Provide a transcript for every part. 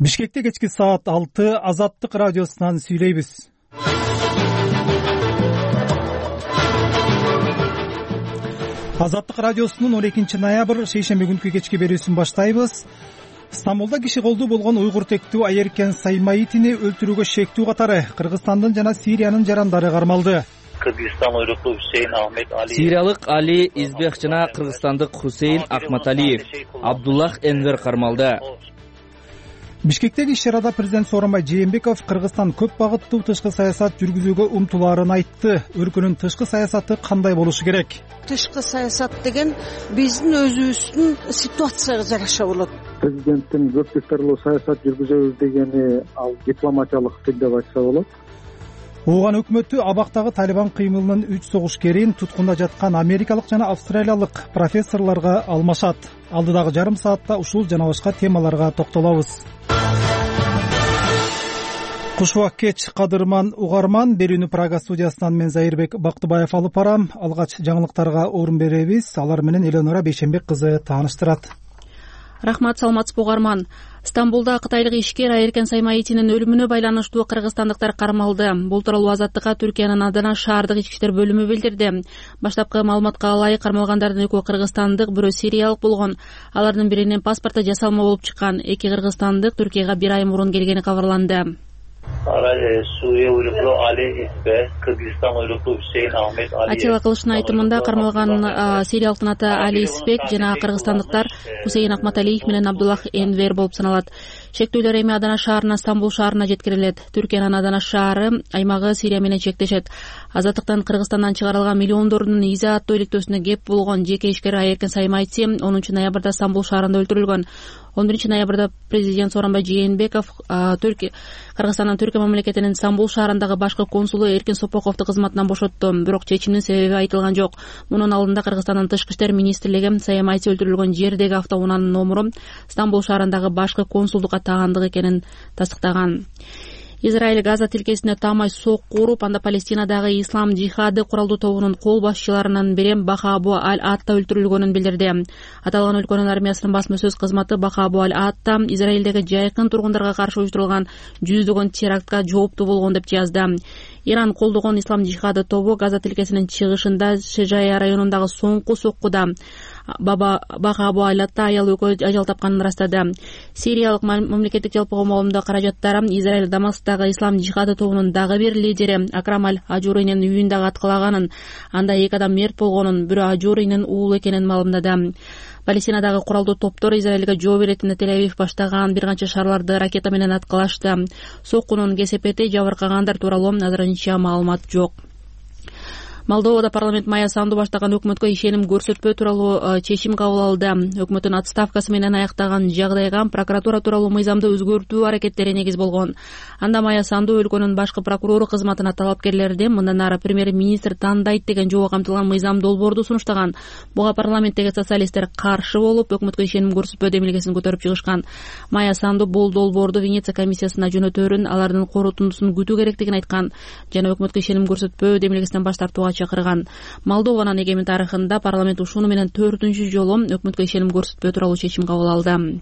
Бишкекте кечки саат 6 Азаттык радиосунан сүйлөйбүз. Азаттык радиосунун 12 ноябрь шейшемби күнкү кечки берүүсүн баштайбыз. Стамбулда киши колдуу болгон уйгур тектүү Айеркен Саймаитини өлтүрүүгө шектүү катары Кыргызстандын жана Сириянын жарандары кармалды. Кыргызстан уйруктуу Хусейн Ахмет Али, Сириялык Али Избех жана кыргызстандык Хусейн Ахматалиев, Абдуллах Энвер кармалды. Бишкектеги иш-чарада президент Сооронбай Жээнбеков Кыргызстан көп багыттуу тышкы саясат жүргүзүүгө умтулаарын айтты. Өлкөнүн тышкы саясаты кандай болушу керек? Тышкы саясат деген биздин өзүбүздүн ситуацияга жараша болот. Президенттин көп жактарлуу саясат жүргүзөбүз дегени ал дипломатиялык тил деп айтса болот. Ооган өкмөтү абактагы Талибан кыймылынын 3 согушкерин туткунда жаткан америкалык жана австралиялык профессорлорго алмашат. Алдыдагы жарым саатта ушул жана башка темаларга токтолобуз. Кушубак кеч кадырман угарман, берүүнү Прага студиясынан мен Зайырбек Бактыбаев алып барам. Алгач жаңылыктарга орун беребиз. Алар менен Элеонора Бейшенбек кызы тааныштырат. Рахмат, саламатсызбы угарман. Стамбулда кытайлык ишкер Айеркен Саймаитинин өлүмүнө байланыштуу кыргызстандыктар кармалды. Бул тууралуу Азаттыкка Түркиянын Адана шаардык ички иштер бөлүмү билдирди. Баштапкы маалыматка ылайык кармалгандардын экөө кыргызстандык, бирөө сириялык болгон. Алардын биринин паспорту жасалма болуп чыккан. Эки кыргызстандык Түркияга бир ай мурун келгени кабарланды. Suriye uyruklu Ali İzbek, Kırgızistan uyruklu Hüseyin Ahmet Ali. Атила кылыштын айтымында кармалган сириялыктын аты Али Избек жана кыргызстандыктар Хусейн Ахматалиев менен Абдуллах Энвер болуп саналат. Шектүүлөр эми Адана шаарынан Стамбул шаарына жеткирилет. Түркиянын Адана шаары аймагы Сирия менен чектешет. Азаттыктан Кыргызстандан чыгарылган миллиондордун иза аттуу иликтөөсүнө кеп болгон жеке ишкер Айеркен Саймаити 10 ноябрда Стамбул шаарында өлтүрүлгөн. 11 ноябрда президент Сооронбай Жээнбеков Кыргызстандын Түркия мамлекетинин Стамбул шаарындагы башкы консулу Эркин Сопоковду кызматынан бошотту. Бирок чечимдин себеби айтылган жок. Мунун алдында Кыргызстандын тышкы иштер министрлиги Саймаити өлтүрүлгөн жердеги автоунаанын номуру Стамбул шаарындагы башкы консулдукка тагандык экенин тастыктаган. Израиль Газа тилкесине таамай сокку уруп, анда Палестинадагы ислам жихады куралдуу тобунун кол башчыларынан бири Баха Абу Аль-Атта өлтүрүлгөнүн билдирди. Аталган өлкөнүн армиясынын басма сөз кызматы Баха Абу Аль-Атта Израилдеги жайкын тургундарга каршы уюштурулган жүздөгөн терактка жооптуу болгон деп жазды. Иран колдогон ислам жихады тобу Газа тилкесинин чыгышында Шежая районундагы соңку соккуда Баха Абу Аль-Атта аял экөө ажал тапканын ырастады. Сириялык мамлекеттик жалпы коомдук каражаттары Израиль Дамасктагы ислам жихады тобунун дагы бир лидери Акрам Аль-Ажуринин үйүн дагы аткылаганын, анда 2 адам мерт болгонун, бирөө Ажуринин уулу экенин маалымдады. Палестинадагы куралдуу топтор Израилге жооп беретине Тель-Авив баштаган бир канча шаарларды ракета менен аткылашты. Соккунун кесепети, жабыркагандар тууралуу азырынча маалымат жок. Молдовада парламент Майя Санду баштаган өкмөткө ишеним көрсөтпөө тууралуу чечим кабыл алды. Өкмөттүн отставкасы менен аяктаган жагдайга прокуратура тууралуу мыйзамды өзгөртүү аракеттери негиз болгон. Анда Майя Санду өлкөнүн башкы прокурору кызматына талапкерлерди мындан ары премьер-министр тандайт деген жобо камтылган мыйзам долбоорду сунуштаган. Буга парламенттеги социалисттер каршы болуп, өкмөткө ишеним көрсөтпөө демилгесин көтөрүп чыгышкан. Майя Санду бул долбоорду Венеция комиссиясына жөнөтөөрүн, алардын корутундусун күтүү керектигин айткан жана өкмөткө ишеним көрсөтпөө демилгесинен баш тартууга чакырган. Молдованын эгемен тарыхында парламент ушуну менен 4-үнчү жолу өкмөткө ишеним көрсөтпөө тууралуу чечим кабыл алды.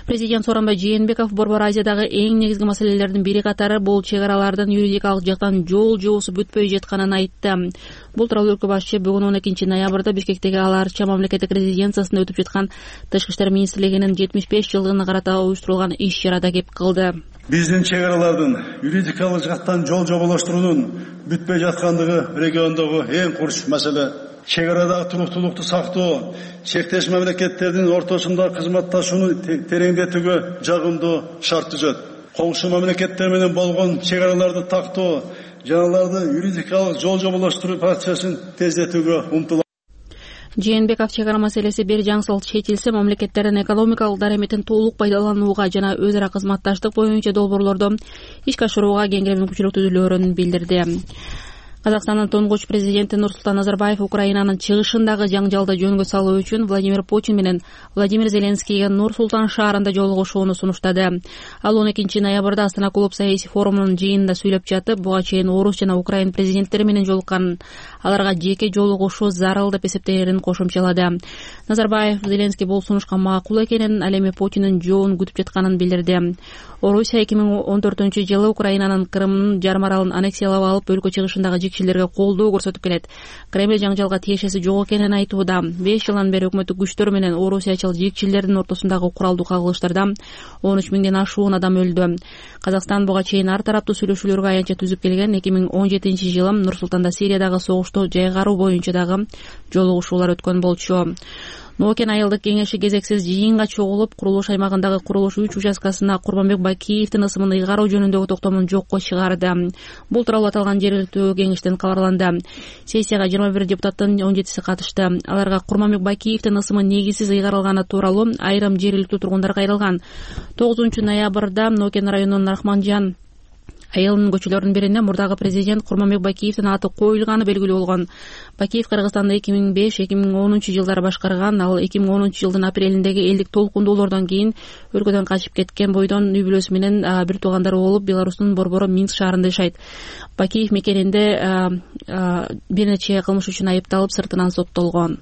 Президент Сооронбай Жээнбеков Борбор Азиядагы эң негизги маселелердин бири катары бул чек аралардын юридикалык жактан жол жуусу бүтпөй жатканын айтты. Бул тууралуу өлкө башчы бүгүн 12 ноябрда Бишкектеги Ал Арча мамлекеттик резиденциясында өтүп жаткан Тышкы иштер министрлигинин 75 жылдыгына карата уюштурулган иш-чарада кеп кылды. Биздин чек аралардын юридикалык жактан жол жоболоштуруунун бүтпөй жаткандыгы региондогу эң курч маселе. Чек арадагы туруктуулукту сактоо, чектеш мамлекеттердин ортосунда кызматташууну тереңдетүүгө жагымдуу шарт түзөт. Коңшу мамлекеттер менен болгон чек араларды тактоо жана аларды юридикалык жол жоболоштуруу процессин тездетүүгө умтулат. Жээнбеков чек ара маселеси бир жаңсыл чечилсе, мамлекеттердин экономикалык дараметин толук пайдаланууга жана өз ара кызматташтык боюнча долбоорлорду ишке ашырууга кеңири мүмкүнчүлүк түзүлөөрүн билдирди. Казакстандын туңгуч президенти Нурсултан Назарбаев Украинанын чыгышындагы жаңжалды жөнгө салуу үчүн Владимир Путин менен Владимир Зеленскийге Нур-Султан шаарында жолугушууну сунуштады. Ал 12 ноябрда Астана клуб саясий форумунун жыйынында сүйлөп жатып, буга чейин Орус жана Украин президенттери менен жолуккан, аларга жеке жолугушуу зарыл деп эсептеерин кошумчалады. Назарбаев Зеленский бул сунушка макул экенин, ал эми Путиндин жообун күтүп жатканын билдирди. Орусия 2014-жылы Украинанын Крымдын жарым аралын аннексиялап алып, өлкө чыгышындагы жекчилерге колдоо көрсөтүп келет. Кремль жаңжалга тиешеси жок экенин айтууда. 5 жылдан бери өкмөттүк күчтөр менен орусиячыл жекчилердин ортосундагы куралдуу кагылыштарда 13 миңден ашуун адам өлдү. Казакстан буга чейин ар тараптуу сүйлөшүүлөргө аянтча түзүп келген. 2017-жылы Нур-Султанда Сириядагы согушту жайгаруу боюнча дагы жолугушуулар өткөн болчу. Нокен айылдык кеңеши кезексиз жыйынга чогулуп, курулуш аймагындагы курулуш 3 участкасына Курманбек Бакиевдин ысымын ыйгаруу жөнүндөгү токтомун жокко чыгарды. Бул тууралуу аталган жергиликтүү кеңештен кабарланды. Сессияга 21 депутаттын 17си катышты. Аларга Курманбек Бакиевдин ысымы негизсиз ыйгарылганы тууралуу айрым жергиликтүү тургундар кайрылган. 9 ноябрда Нокен районунун Рахманжан айылынын көчөлөрүнүн биринде мурдагы президент Курманбек Бакиевдин аты коюлганы белгилүү болгон. Бакиев Кыргызстанды 2005-2010 жылдары башкарган. Ал 2010 жылдын апрелиндеги элдик толкундоолордон кийин өлкөдөн качып кеткен бойдон үй бүлөсү менен бир туугандары болуп, Беларустун борбору Минск шаарында жашайт. Бакиев мекенинде бир нече кылмыш үчүн айыпталып, сыртынан соттолгон.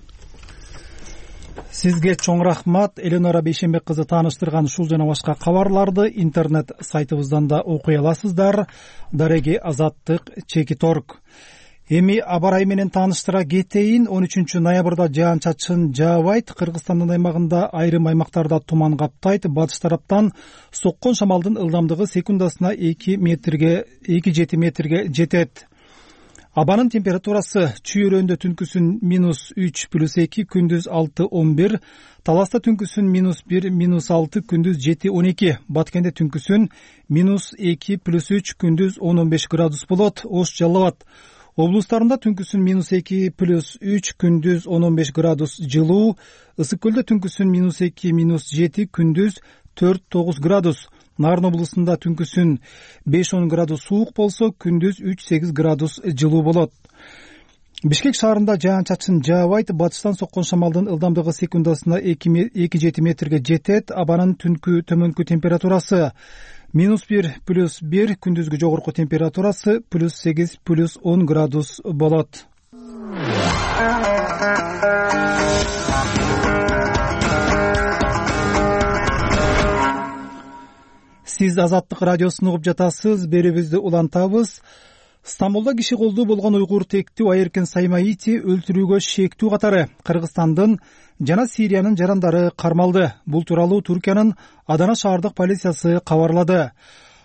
Сизге чоң рахмат. Эленора Бейшенбек кызы тааныштырган ушул жана башка кабарларды интернет сайтыбыздан да окуй аласыздар. Дареги Азаттык _org. Эми аба ырайы менен тааныштыра кетейин. 13 ноябрда жаан-чачын жаабайт. Кыргызстандын аймагында айрым аймактарда туман каптайт. Батыш тараптан соккон шамалдын ылдамдыгы секундасына 2-7 метрге жетет. Абанын температурасы Чүй-Өрөндө түнкүсүн -3+2, күндүз 6-11, Таласта түнкүсүн -1, -6, күндүз 7-12, Баткенде түнкүсүн -2+3, күндүз 10-15 градус болот. Ош Жалал Абад облустарында түнкүсүн -2+3, күндүз 10-15 градус жылуу. Ысык Көлдө түнкүсүн -2, -7, күндүз 4-9 градус. Нарын облусунда түнкүсүн 5-10 градус суук болсо, күндүз 3-8 градус жылуу болот. Бишкек шаарында жаан-чачын жаабайт. Батыштан соккон шамалдын ылдамдыгы секундасына 2-7 метрге жетет. Абанын түнкү төмөнкү температурасы -1+1, күндүзгү жогорку температурасы +8-+10 градус болот. Сиз Азаттык радиосун угуп жатасыз. Берүүбүздү улантабыз. Стамбулда киши колдуу болгон уйгур тектүү Айеркен Саймаити өлтүрүүгө шектүү катары Кыргызстандын жана Сириянын жарандары кармалды. Бул тууралуу Түркиянын Адана шаардык полициясы кабарлады.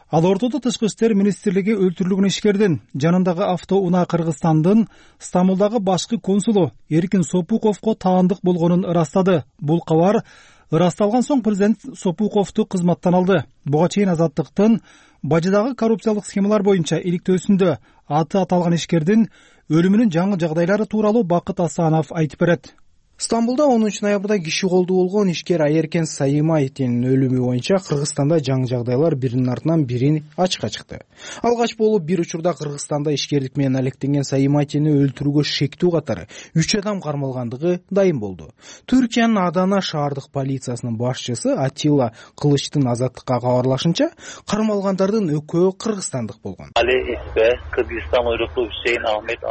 Ал ортодо Тышкы иштер министрлиги өлтүрүлгөн ишкердин жанындагы автоунаа Кыргызстандын Стамбулдагы башкы консулу Эркин Сопуковго таандык болгонун ырастады. Бул кабар ырасталган соң президент Сопуковду кызматтан алды. Буга чейин Азаттыктын бажыдагы коррупциялык схемалар боюнча иликтөөсүндө аты аталган ишкердин өлүмүнүн жаңы жагдайлары тууралуу Бакыт Асанов айтып берет. Стамбулда 10 ноябрда киши колдуу болгон ишкер Айеркен Саймаитинин өлүмү боюнча Кыргызстанда жаңы жагдайлар биринин артынан бирин ачыкка чыкты. Алгач болуп бир учурда Кыргызстанда ишкерлик менен алектенген Саймаитини өлтүрүүгө шектүү катары 3 адам кармалгандыгы дайым болду. Түркиянын Адана шаардык полициясынын башчысы Атилла Кылычтын Азаттыкка кабарлашынча, кармалгандардын экөө кыргызстандык болгон.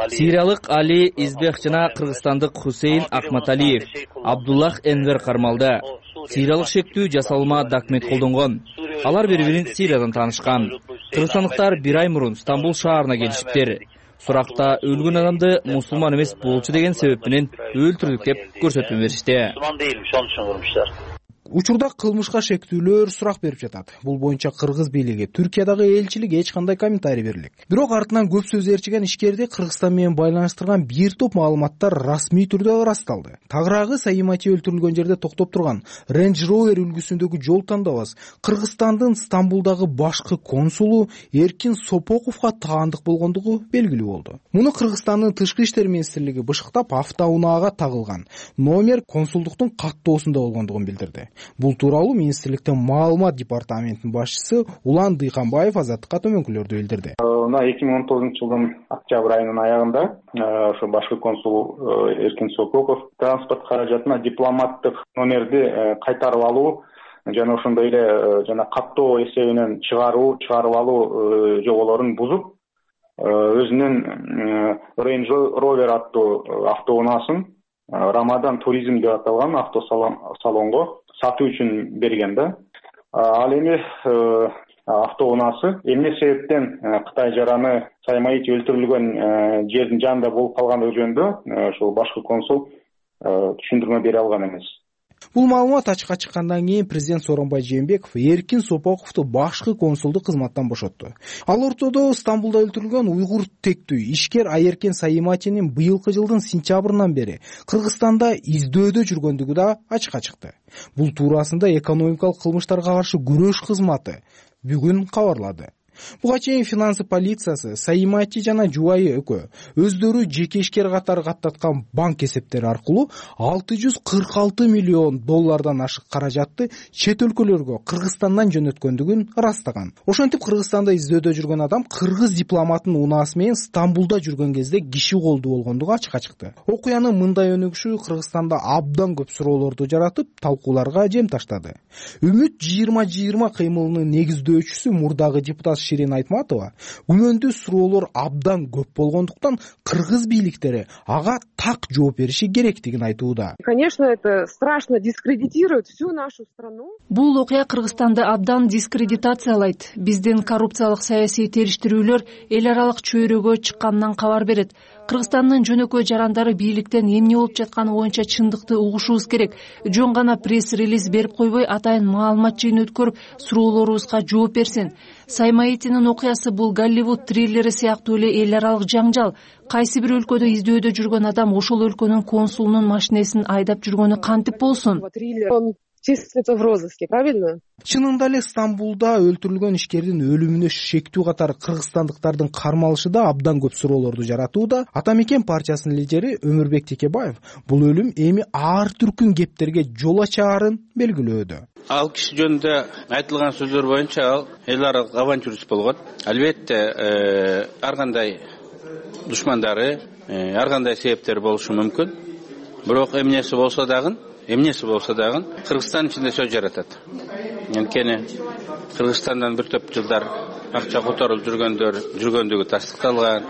Сириялык Али Избек жана кыргызстандык Хусейн Акматалиев, Абдуллах Энвер кармалды. Сириялык шектүү жасалма документ колдонгон. Алар бири-бирин Сириядан таанышкан. Кыргызстандыктар бир ай мурун Стамбул шаарына келишиптир. Суракта өлгөн адамды мусулман эмес болчу деген себеп менен өлтүрдүк деп көрсөтмө беришти. Учурда кылмышка шектүүлөр сурак берип жатат. Бул боюнча кыргыз бийлиги, Түркиядагы элчилик эч кандай комментарий берилек. Бирок артынан көп сөз ээрчиген ишкерди Кыргызстан менен байланыштырган бир топ маалыматтар расмий түрдө ырасталды. Тагыраагы Саймаити өлтүрүлгөн жерде токтоп турган Range Rover үлгүсүндөгү жол тандабас Кыргызстандын Стамбулдагы башкы консулу Эркин Сопоковго таандык болгондугу белгилүү болду. Муну Кыргызстандын Тышкы иштер министрлиги бышыктап автоунаага тагылган номер консулдуктун каттоосунда болгондугун билдирди. Бул тууралуу министрликтин маалымат департаментинин башчысы Улан Дыйканбаев Азаттыкка төмөнкүлөрдү билдирди. мына 2019 жылдын октябрь айынын аягында ошо башкы консул Эркин Сококов транспорт каражатына дипломаттык номерди кайтарып алуу жана ошондой эле жана каттоо эсебинен чыгарып алуу жоболорун бузуп өзүнүн Range Rover аттуу автоунаасын Рамадан туризм деп аталган автосалонго сатуу үчүн берген да. Ал эми автоунаасы эмне себептен Кытай жараны Саймаити өлтүрүлгөн жердин жанында болуп калгандыгы жөнүндө ошол башкы консул түшүндүрмө бере алган эмес. Бул маалымат ачыкка чыккандан кийин президент Сооронбай Жээнбеков Эркин Сопоковду башкы консулдук кызматтан бошотту. Ал ортодо Стамбулда өлтүрүлгөн уйгур тектүү ишкер Айеркен Саиматинин быйылкы жылдын сентябрынан бери Кыргызстанда издөөдө жүргөндүгү да ачыкка чыкты. Бул туурасында экономикалык кылмыштарга каршы күрөш кызматы бүгүн кабарлады. Буга чейин финансы полициясы Саимати жана жубайы экөө өздөрү жеке ишкер катары каттаткан банк эсептери аркылуу 646 миллион доллардан ашык каражатты чет өлкөлөргө Кыргызстандан жөнөткөндүгүн ырастаган. Ошентип Кыргызстанда издөөдө жүргөн адам кыргыз дипломатынын унаасы менен Стамбулда жүргөн кезде киши колдуу болгондугу ачыкка чыкты. Окуянын мындай өнүгүшү Кыргызстанда абдан көп суроолорду жаратып, талкууларга жем таштады. Үмүт 2020 кыймылынын негиздөөчүсү мурдагы депутат Ширин Айтматова күмөндүү суроолор абдан көп болгондуктан кыргыз бийликтери ага так жооп бериши керектигин айтууда. Конечно, это страшно дискредитирует всю нашу страну. Бул окуя Кыргызстанды абдан дискредитациялайт. Биздин коррупциялык саясий териштирүүлөр эл аралык чөйрөгө чыкканынан кабар берет. Кыргызстандын жөнөкөй жарандары бийликтен эмне болуп жатканы боюнча чындыкты угушубуз керек. Жөн гана пресс-релиз берип койбой, атайын маалымат жыйын өткөрүп, суроолорубузга жооп берсин. Саймаитинин окуясы бул Голливуд триллери сыяктуу эле эл аралык жаңжал. Кайсы бир өлкөдө издөөдө жүргөн адам ошол өлкөнүн консулунун машинесин айдап жүргөнү кантип болсун? Числится в розыске, правильно? Чынында эле Стамбулда өлтүрүлгөн ишкердин өлүмүнө шектүү катары кыргызстандыктардын кармалышы да абдан көп суроолорду жаратууда. Ата Мекен партиясынын лидери Өмүрбек Текебаев бул өлүм эми ар түркүн кептерге жол ачаарын белгилөөдө. Ал киши жөнүндө айтылган сөздөр боюнча ал эл аралык авантюрист болгон. Албетте ар кандай душмандары, ар кандай себептер болушу мүмкүн. Бирок эмнеси болсо дагы Кыргызстан ичинде сөз жаратат. Анткени Кыргызстандан бир топ жылдар акча которулуп жүргөндүгү тастыкталган.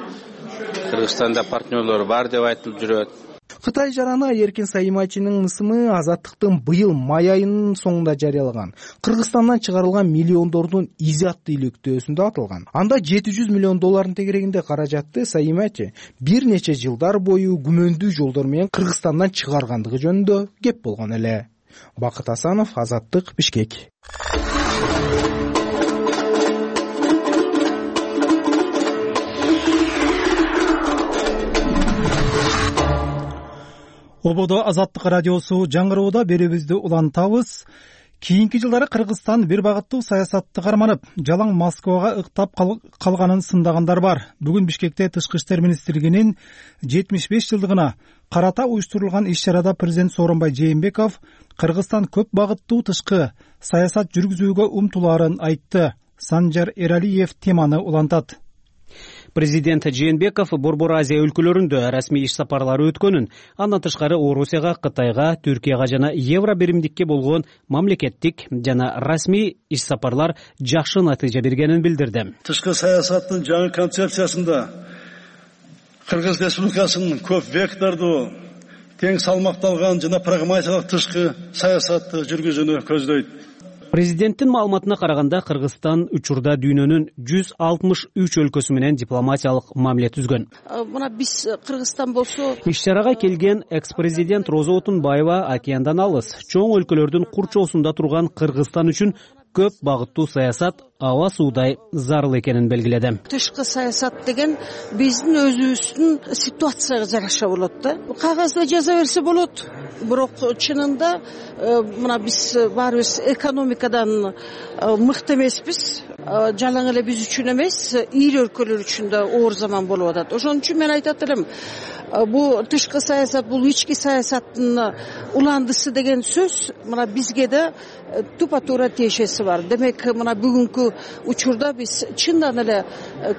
Кыргызстанда партнерлор бар деп айтылып жүрөт. Кытай жараны Айеркен Саиматинин ысымы Азаттыктын быйыл май айынын соңунда жарыялаган Кыргызстандан чыгарылган миллиондордун изи аттуу илектөөсүндө атылган. Анда 700 миллион доллардын тегерегинде каражатты Саимати бир нече жылдар бою күмөндүү жолдор менен Кыргызстандан чыгаргандыгы жөнүндө кеп болгон эле. Бакыт Асанов, Азаттык, Бишкек. Ободо Азаттык радиосу жаңырууда берүүбүздү улантабыз. Кийинки жылдары Кыргызстан бир багыттуу саясатты карманып, жалаң Москвага ыктап калганын сындагандар бар. Бүгүн Бишкекте Тышкы иштер министрлигинин 75 жылдыгына карата уюштурулган иш-чарада президент Сооронбай Жээнбеков Кыргызстан көп багыттуу тышкы саясат жүргүзүүгө умтулаарын айтты. Санжар Эралиев теманы улантат. Президент Жээнбеков Борбор Азия өлкөлөрүндө расмий иш сапарлары өткөнүн, андан тышкары Орусияга, Кытайга, Түркияга жана Евро биримдикке болгон мамлекеттик жана расмий иш сапарлар жакшы натыйжа бергенин билдирди. Тышкы саясаттын жаңы концепциясында Кыргыз Республикасынын көп вектордуу, тең салмакталган жана прагматикалык тышкы саясатты жүргүзүүнү көздөйт. Президенттин маалыматына караганда Кыргызстан учурда дүйнөнүн 163 өлкөсү менен дипломатиялык мамиле түзгөн. Мына биз Кыргызстан болсо иш-чарага келген экс-президент Роза Отунбаева океандан алыс, чоң өлкөлөрдүн курчоосунда турган Кыргызстан үчүн көп багыттуу саясат аба суудай зарыл экенин белгиледи. Тышкы саясат деген биздин өзүбүздүн ситуацияга жараша болот да. Кагазда жаза берсе болот. Бирок чынында мына биз баарыбыз экономикадан мыкты эмеспиз. Жалаң эле биз үчүн эмес, ири өлкөлөр үчүн да оор заман болуп атат. Ошон үчүн мен айтат элем, бул тышкы саясат, бул ички саясаттын уландысы деген сөз мына бизге да тупа туура тиешеси бар. Демек мына бүгүнкү учурда биз чындан эле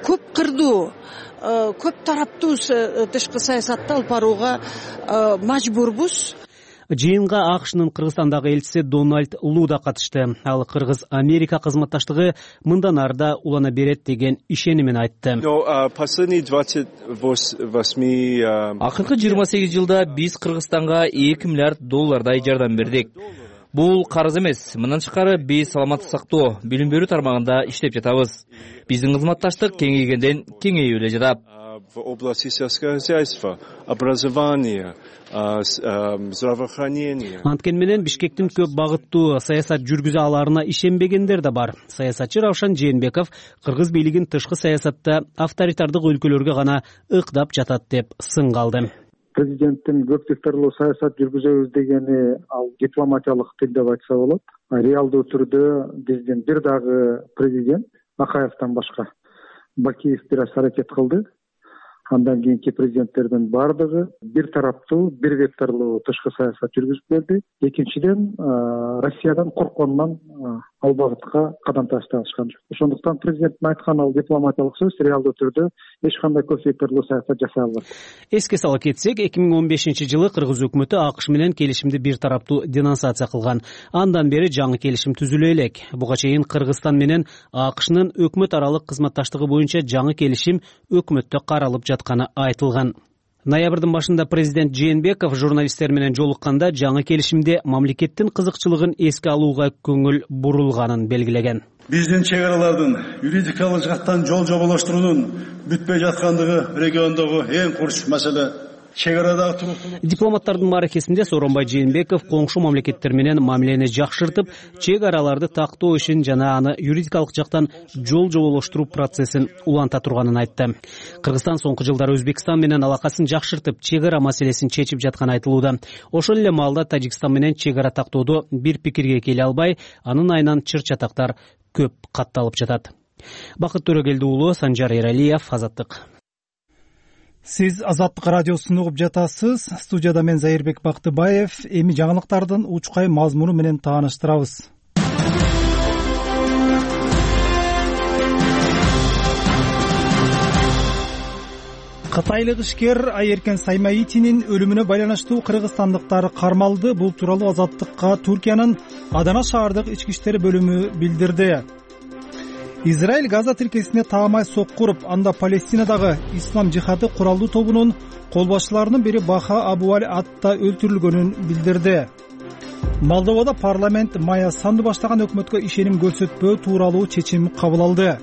көп кырдуу, көп тараптуу тышкы саясатты алып барууга мажбурбуз. Жыйынга АКШнын Кыргызстандагы элчиси Дональд Лу да катышты. Ал Кыргыз-Америка кызматташтыгы мындан ары да улана берет деген ишенимин айтты. Акыркы 28 жылда биз Кыргызстанга $2 миллиард жардам бердик. Бул карыз эмес. Мындан тышкары биз саламаттык сактоо, билим берүү тармагында иштеп жатабыз. Биздин кызматташтык кеңейгенден кеңейип эле жатат. В области сельского хозяйства, образования, здравоохранения. Анткени менен Бишкектин көп багыттуу саясат жүргүзө аларына ишенбегендер да бар. Саясатчы Равшан Жээнбеков кыргыз бийлигин тышкы саясатта авторитардык өлкөлөргө гана ыкдап жатат деп сын калды. Президенттин көп секторлуу саясат жүргүзөбүз дегени ал дипломатиялык тил деп айтса болот. Реалдуу түрдө биздин бир дагы президент Акаевден башка Бакиев бир аз аракет кылды. Андан кийинки президенттердин бардыгы бир тараптуу, бир векторлуу тышкы саясат жүргүзүп берди. Экинчиден, Россиядан коркконунан ал багытка кадам ташташкан жок. Ошондуктан президенттин айткан ал дипломатиялык сөз реалдуу түрдө эч кандай көп векторлуу саясат жасай албайт. Эске сала кетсек, 2015-жылы Кыргыз өкмөтү АКШ менен келишимди бир тараптуу денонсация кылган. Андан бери жаңы келишим түзүлө элек. Буга чейин Кыргызстан менен АКШнын өкмөт аралык кызматташтыгы боюнча жаңы келишим өкмөттө каралып жатканы айтылган. Ноябрдын башында президент Жээнбеков журналисттер менен жолукканда жаңы келишимде мамлекеттин кызыкчылыгын эске алууга көңүл бурулганын белгилеген. Биздин чек аралардын юридикалык жактан жол жоболоштуруунун бүтпөй жаткандыгы региондогу эң курч маселе. Дипломаттардын мааракесинде Сооронбай Жээнбеков коңшу мамлекеттер менен мамилени жакшыртып, чек араларды тактоо ишин жана аны юридикалык жактан жол жоболоштуруу процессин уланта турганын айтты. Кыргызстан соңку жылдары Өзбекстан менен алакасын жакшыртып, чек ара маселесин чечип жатканы айтылууда. Ошол эле маалда Тажикстан менен чек ара тактоодо бир пикирге келе албай, анын айынан чыр-чатактар көп катталып жатат. Бакыт Төрөгелди уулу, Санжар Эралиев, Азаттык. Сиз Азаттык радиосун угуп жатасыз. Студияда мен Зайырбек Бактыбаев. Эми жаңылыктардын учкай мазмуну менен тааныштырабыз. Кытайлык ишкер Айеркен Саймаитинин өлүмүнө байланыштуу кыргызстандыктар кармалды. Бул тууралуу Азаттыкка Түркиянын Адана шаардык ички иштер бөлүмү билдирди. Израиль Газа тилкесине таамай сокку уруп, анда Палестинадагы ислам жихады куралдуу тобунун кол башчыларынын бири Баха Абуаль атта өлтүрүлгөнүн билдирди. Молдовада парламент Майя Санду баштаган өкмөткө ишеним көрсөтпөө тууралуу чечим кабыл алды.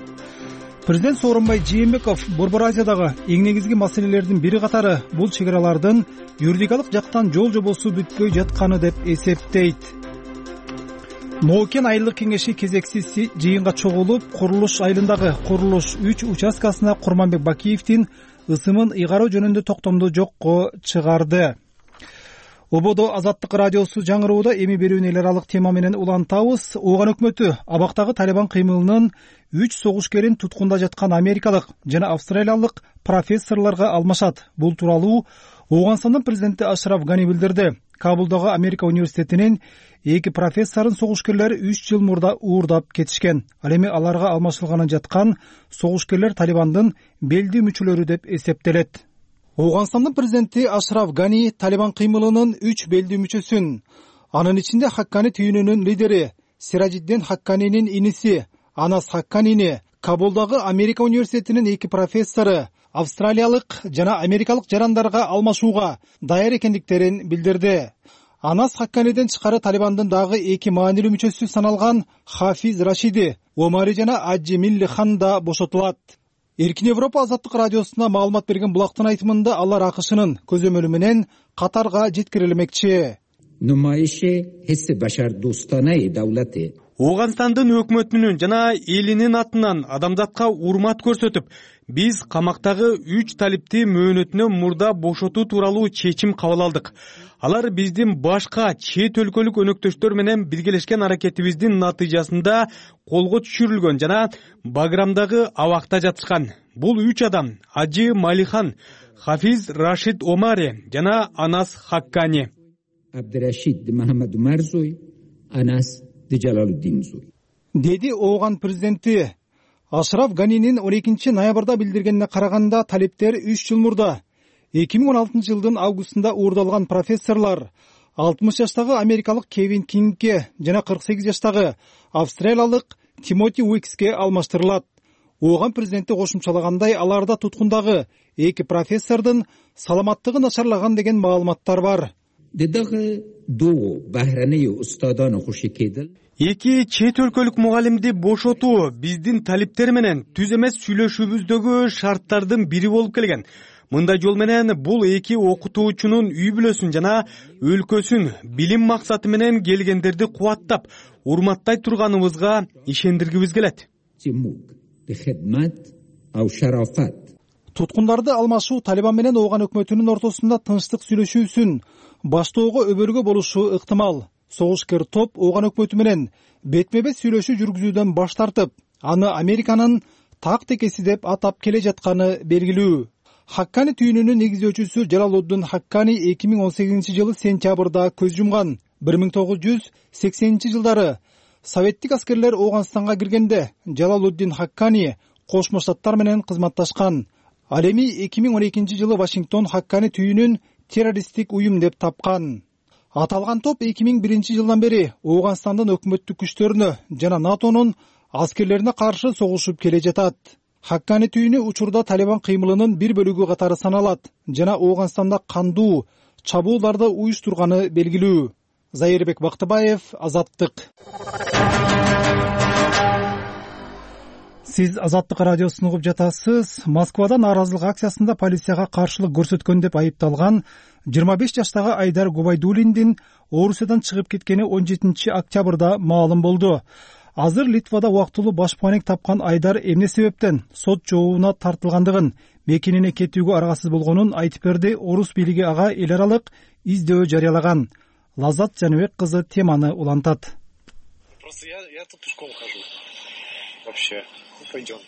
Президент Сооронбай Жээнбеков Борбор Азиядагы эң негизги маселелердин бири катары бул чек аралардын юридикалык жактан жол жобосу бүтпөй жатканы деп эсептейт. Ноокен айылдык кеңеши кезексиз жыйынга чогулуп, курулуш айылындагы курулуш 3 участкасына Курманбек Бакиевдин ысымын ыйгаруу жөнүндө токтомду жокко чыгарды. Ободо Азаттык радиосу жаңырууда эми берүүнү эл аралык тема менен улантабыз. Ооган өкмөтү абактагы Талибан кыймылынын 3 согушкерин туткунда жаткан америкалык жана австралиялык профессорлорго алмашат. Бул тууралуу Ооганстандын президенти Ашраф Гани билдирди. Кабулдагы Америка университетинин 2 профессорун согушкерлер 3 жыл мурда уурдап кетишкен. Ал эми аларга алмашылганы жаткан согушкерлер Талибандын белди мүчөлөрү деп эсептелет. Ооганстандын президенти Ашраф Гани Талибан кыймылынын 3 белди мүчөсүн, анын ичинде Хаккани түйүнүнүн лидери Сиражиддин Хакканинин иниси Анас Хакканини, Кабулдагы Америка университетинин 2 профессору австралиялык жана америкалык жарандарга алмашууга даяр экендиктерин билдирди. Анас Хакканиден тышкары Талибандын дагы 2 маанилүү мүчөсү саналган Хафиз Рашиди, Омари жана Аджи Милли Хан да бошотулат. Эркин Европа Азаттык радиосуна маалымат берген булактын айтымында алар АКШнын көзөмөлү менен Катарга жеткирилмекчи. Ооганстандын өкмөтүнүн жана элинин атынан адамзатка урмат көрсөтүп, биз камактагы 3 талипти мөөнөтүнөн мурда бошотуу тууралуу чечим кабыл алдык. Алар биздин башка чет өлкөлүк өнөктөштөр менен биргелешкен аракетибиздин натыйжасында колго түшүрүлгөн жана Баграмдагы абакта жатышкан. Бул 3 адам: Аджи Малихан, Хафиз Рашид Омари жана Анас Хаккани. Абдурашид Махамад Марзой, Анас Жалалуддин Зой. деди Ооган президенти. Ашраф Ганинин 12 ноябрда билдиргенине караганда, талиптер 3 жыл мурда 2016 жылдын августунда уурдалган профессорлор 60 жаштагы америкалык Кевин Кингке жана 48 жаштагы австралиялык Тимоти Уикске алмаштырылат. Ооган президенти кошумчалагандай, аларда туткундагы 2 профессордун саламаттыгы начарлаган деген маалыматтар бар. Эки чет өлкөлүк мугалимди бошотуу биздин талиптер менен түз эмес сүйлөшүүбүздөгү шарттардын бири болуп келген. Мындай жол менен бул эки окутуучунун үй бүлөсүн жана өлкөсүн билим максаты менен келгендерди кубаттап, урматтай турганыбызга ишендиргибиз келет. Туткундарды алмашуу Талибан менен Ооган өкмөтүнүн ортосунда тынчтык сүйлөшүүсүн баштоого өбөлгө болушу ыктымал. Согушкер топ Ооган өкмөтү менен бетме-бет сүйлөшүү жүргүзүүдөн баш тартып, аны Американын так текеси деп атап келе жатканы белгилүү. Хаккани түйүнүнүн негиздөөчүсү Жалалуддин Хаккани 2018 жылы сентябрда көз жумган. 1980 жылдары советтик аскерлер Ооганстанга киргенде Жалалуддин Хаккани Кошмо Штаттар менен кызматташкан. Ал эми 2012 жылы Вашингтон Хаккани түйүнүн террористтик уюм деп тапкан. Аталган топ 2001 жылдан бери Ооганстандын өкмөттүк күчтөрүнө жана НАТОнун аскерлерине каршы согушуп келе жатат. Хаккани түйүнү учурда Талибан кыймылынын бир бөлүгү катары саналат жана Ооганстанда кандуу чабуулдарды уюштурганы белгилүү. Зайырбек Бактыбаев, Азаттык. Сиз Азаттык радиосун угуп жатасыз. Москвада нааразылык акциясында полицияга каршылык көрсөткөн деп айыпталган 25 жаштагы Айдар Губайдуллиндин Орусиядан чыгып кеткени 17 октябрда маалым болду. Азыр Литвада убактылуу баш паник тапкан Айдар эмне себептен сот жообуна тартылгандыгын, мекенине кетүүгө аргасыз болгонун айтып берди. Орус бийлиги ага эл аралык издөө жарыялаган. Лаззат Жаныбек кызы теманы улантат. Просто я тут пешком хожу. Вообще. Пойдем.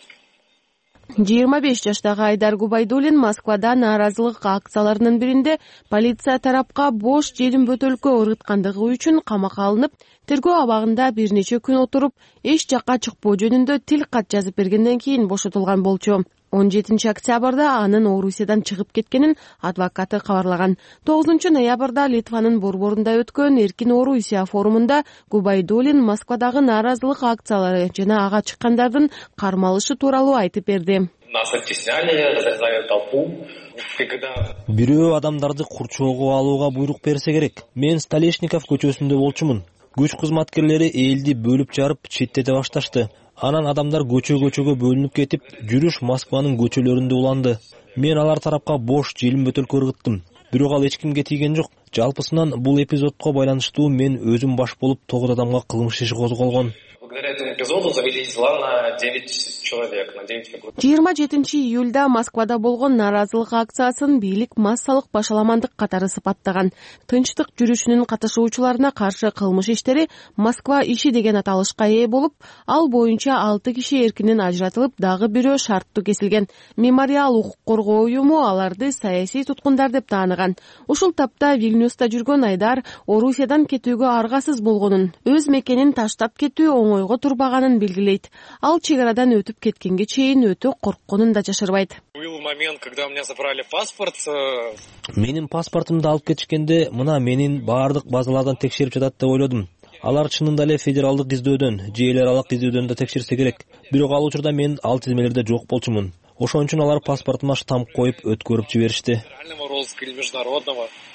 25 жаштагы Айдар Губайдуллин Москвада нааразылык акцияларынын биринде полиция тарапка бош желим бөтөлкө ырыткандыгы үчүн камакка алынып, тергөө абагында бир нече күн отуруп, эч жакка чыкпоо жөнүндө тил кат жазып бергенден кийин бошотулган болчу. 17 октябрда анын Орусиядан чыгып кеткенин адвокаты кабарлаган. 9 ноябрда Литванын борборунда өткөн Эркин Орусия форумунда Губайдуллин Москвадагы нааразылык акциялары жана ага чыккандардын кармалышы тууралуу айтып берди. Нас оттесняли, разрезали толпу. Бирөө адамдарды курчоого алууга буйрук берсе керек. Мен Столешников көчөсүндө болчумун. Күч кызматкерлери элди бөлүп жарып четтете башташты. Анан адамдар көчөгө бөлүнүп кетип, жүрүш Москванын көчөлөрүндө уланды. Мен алар тарапка бош желим бөтөлкө ыргыттым. Бирок ал эч кимге тийген жок. Жалпысынан бул эпизодко байланыштуу мен өзүм баш болуп 9 адамга кылмыш иши козголгон. Благодаря этому эпизоду завели дела на 9 человек, на 9 фигур. 27 июлда Москвада болгон нааразылык акциясын бийлик массалык башаламандык катары сыпаттаган. Тынчтык жүрүшүнүн катышуучуларына каршы кылмыш иштери Москва иши деген аталышка ээ болуп, ал боюнча 6 киши эркинен ажыратылып, дагы бирөө шарттуу кесилген. Мемориал укук коргоо уюму аларды саясий туткундар деп тааныган. Ушул тапта Вильнюста жүргөн Айдар Орусиядан кетүүгө аргасыз болгонун, өз мекенин таштап кетүү оңойго турбаганын белгилейт. Ал чек арадан өтүп кеткенге чейин өтө коркконун да жашырбайт. Был момент, когда у меня забрали паспорт. Менин паспортумду алып кетишкенде, мына менин баардык базалардан текшерип жатат деп ойлодум. Алар чынында эле федералдык издөөдөн, же эл аралык издөөдөн да текшерсе керек. Бирок ал учурда мен ал тизмелерде жок болчумун. Ошон үчүн алар паспортума штамп коюп өткөрүп жиберишти.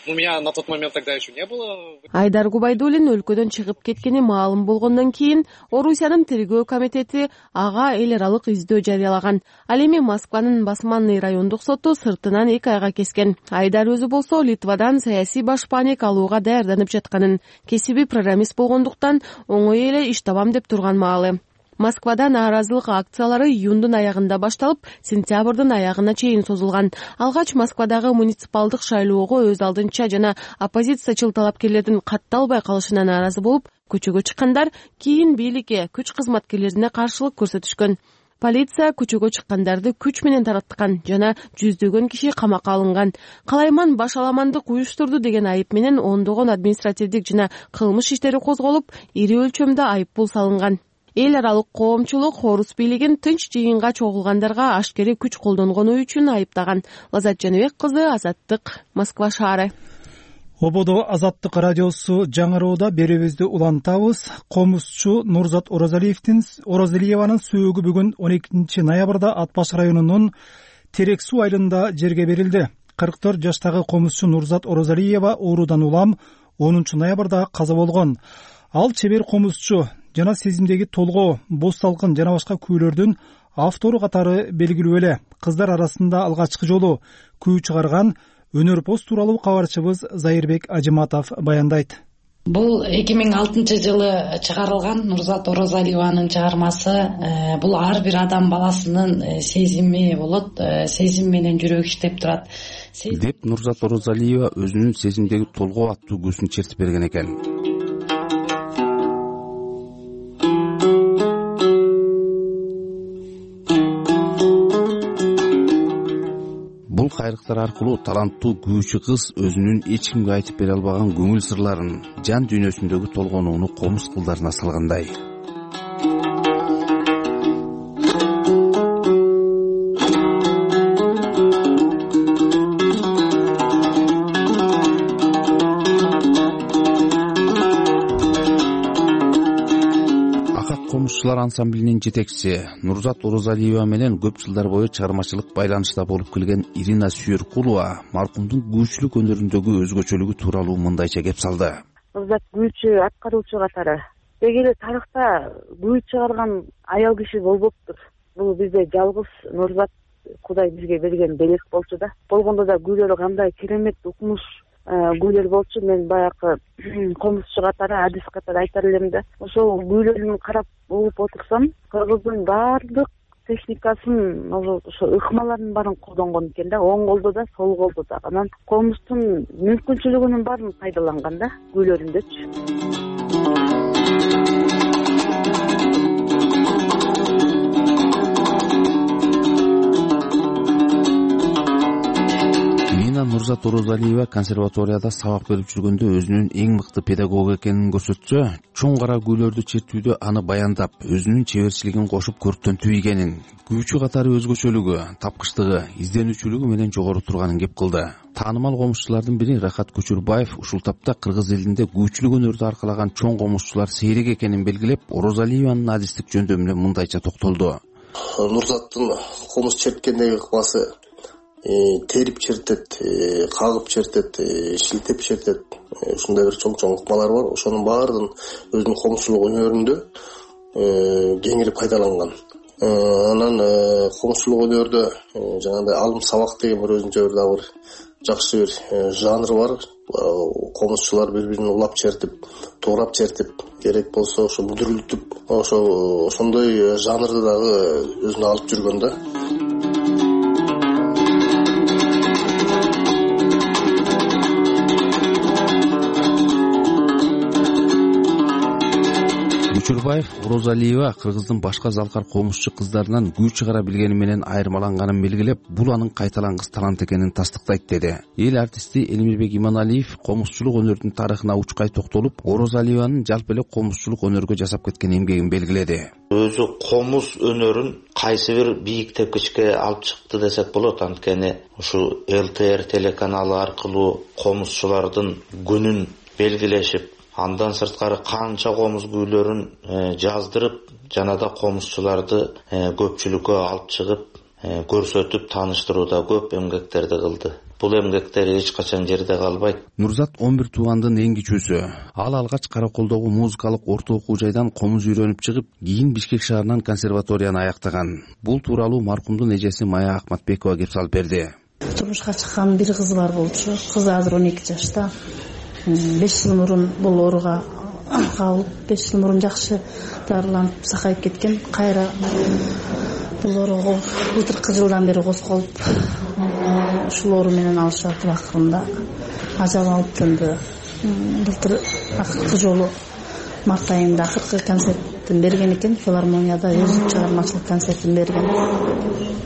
У меня на тот момент тогда еще не было. Айдар Губайдуллин өлкөдөн чыгып кеткени маалым болгондон кийин Орусиянын тергөө комитети ага эл аралык издөө жарыялаган. Ал эми Москванын Басманный райондук соту сыртынан 2 айга кескен. Айдар өзү болсо Литвадан саясий баш паник алууга даярданып жатканын, кесиби программист болгондуктан оңой эле иш табам деп турган маалы. Москвада нааразылык акциялары июндун аягында башталып, сентябрдын аягына чейин созулган. Алгач Москвадагы муниципалдык шайлоого өз алдынча жана оппозициячыл талапкерлердин катталбай калышына нааразы болуп, көчөгө чыккандар кийин бийликке, күч кызматкерлерине каршылык көрсөтүшкөн. Полиция көчөгө чыккандарды күч менен таратткан жана жүздөгөн киши камакка алынган. Калайман башаламандык уюштурду деген айып менен ондогон административдик жана кылмыш иштери козголуп, ири өлчөмдө айып пул салынган. эл аралык коомчулук орус бийлигин тынч жыйынга чогулгандарга ашкерий күч колдонгону үчүн айыптаган. Лазат Жаныбек кызы, Азаттык, Москва шаары. Ободо Азаттык радиосу жаңыроодо берүүбүздү улантабыз. Комузчу Нурзат Оразалиеванын сөөгү бүгүн 12 ноябрда Ат Баш районунун Терек суу айылында жерге берилди. 44 жаштагы комузчу Нурзат Оразалиева оорудан улам 10 ноябрда каза болгон. Ал чебер комузчу жана сезимдеги толгоо, боз салкын жана башка күүлөрдүн автору катары белгилүү эле. Кыздар арасында алгачкы жолу күү чыгарган өнөр пост тууралуу кабарчыбыз Зайырбек Ажыматов баяндайт. Бул 2006 жылы чыгарылган Нурзат Оразалиеванын чыгармасы. Бул ар бир адам баласынын сезими болот, сезим менен жүрөгү иштеп турат деп Нурзат Оразалиева өзүнүн сезимдеги толгоо аттуу көзүн чертип берген экен. Бул кайрыктар аркылуу таланттуу күүчү кыз өзүнүн эч кимге айтып бере албаган көңүл сырларын, жан дүйнөсүндөгү толгонууну комуз кылдарына салгандай. Комузчулар ансамблинин жетекчиси Нурзат Оразалиева менен көп жылдар бою чыгармачылык байланышта болуп келген Ирина Сүйөркулова маркумдун күүчүлүк өнөрүндөгү өзгөчөлүгү тууралуу мындайча кеп салды. Нурзат күүчү, аткаруучу катары деги эле тарыхта күү чыгарган аял киши болбоптур. Бул бизде жалгыз Нурзат Кудай бизге берген белек болчу да. Болгондо да күүлөрү кандай керемет укмуш күүлөр болчу. Мен баягы комузчу катары, адис катары айтар элем да. Ошол күүлөрүн карап угуп отурсам, кыргыздын баардык техникасын, ошо ыкмалардын баарын колдонгон экен да, оң колдо да, сол колдо да. Анан комуздун мүмкүнчүлүгүнүн баарын пайдаланган да күүлөрүндөчү. Нурзат Оразалиева консерваторияда сабак берип жүргөндө өзүнүн эң мыкты педагог экенин көрсөтсө, чоң кара күүлөрдү чертүүдө аны баяндап, өзүнүн чеберчилигин кошуп көрктөнтүү ийгенин, күүчү катары өзгөчөлүгү, тапкычтыгы, изденүүчүлүгү менен жогору турганын кеп кылды. Таанымал комузчулардын бири Рахат Көчүрбаев ушул тапта кыргыз элинде күүчүлүк өнөрдү аркалаган чоң комузчулар сейрек экенин белгилеп, Оразалиеванын адистик жөндөмүнө мындайча токтолду. Нурзаттын комуз черткендеги ыкмасы терип чертет, кагып чертет, шилтеп чертет. Ушундай бир чоң ыкмалар бар. Ошонун баардыгын өзүнүн комузчулук өнөрүндө кеңири пайдаланган. Анан комузчулук өнөрдө жагандай алым сабак деген бир өзүнчө бир жакшы бир жанр бар. Комузчулар бири-бирин улап чертип, туурап чертип, керек болсо ошо бүдүрүлтүп, ошондой жанрды дагы өзүнө алып жүргөн да. Көчүрбаев Оразалиева кыргыздын башка залкар комузчу кыздарынан күү чыгара билгени менен айырмаланганын белгилеп, бул анын кайталангыс талант экенин тастыктайт деди. Эл артисти Элмирбек Иманалиев комузчулук өнөрдүн тарыхына учкай токтолуп, Оразалиеванын жалпы эле комузчулук өнөргө жасап кеткен эмгегин белгиледи. Өзү комуз өнөрүн кайсы бир бийик тепкичке алып чыкты десек болот. Анткени ушу ЛТР телеканалы аркылуу комузчулардын күнүн белгилешип, андан сырткары канча комуз күүлөрүн жаздырып, жана да комузчуларды көпчүлүккө алып чыгып, көрсөтүп, тааныштырууда көп эмгектерди кылды. Бул эмгектер эч качан жерде калбайт. Нурзат 11 туугандын эң кичүүсү. Ал алгач Караколдогу музыкалык орто окуу жайдан комуз үйрөнүп чыгып, кийин Бишкек шаарынан консерваторияны аяктаган. Бул тууралуу маркумдун эжеси Мая Акматбекова кеп салып берди. Турмушка чыккан бир кызы бар болчу. Кызы азыр 12 жашта. 5 жыл мурун бул ооруга кабылып, 5 жыл мурун жакшы дарыланып, сакайып кеткен. Кайра бул ооруга былтыркы жылдан бери козголуп, ушул оору менен алышып атып, акырында ажал алып тынды. Былтыр акыркы жолу март айында акыркы концерт концертин берген экен, филармонияда өзү чыгармачылык концертин берген.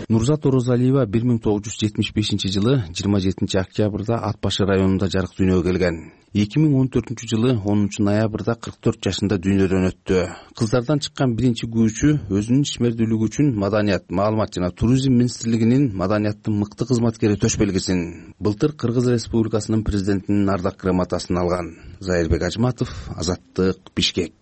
Нурзат Орозалиева 1975-жылы 27 октябрда Ат башы районунда жарык дүйнөгө келген. 2014-жылы 10 ноябрда 44 жашында дүйнөдөн өттү. Кыздардан чыккан биринчи күүчү өзүнүн ишмердүүлүгү үчүн Маданият, маалымат жана туризм министрлигинин маданияттын мыкты кызматкери төш белгисин былтыр Кыргыз Республикасынын президентинин ардак грамотасын алган. Зайырбек Ажматов, Азаттык, Бишкек.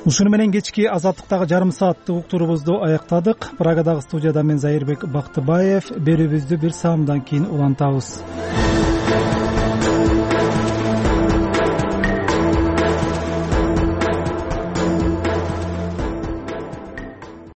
Ушуну менен кечки Азаттыктагы жарым сааттык уктуруубузду аяктадык. Прагадагы студияда мен Зайырбек Бактыбаев. Берүүбүздү бир саамдан кийин улантабыз.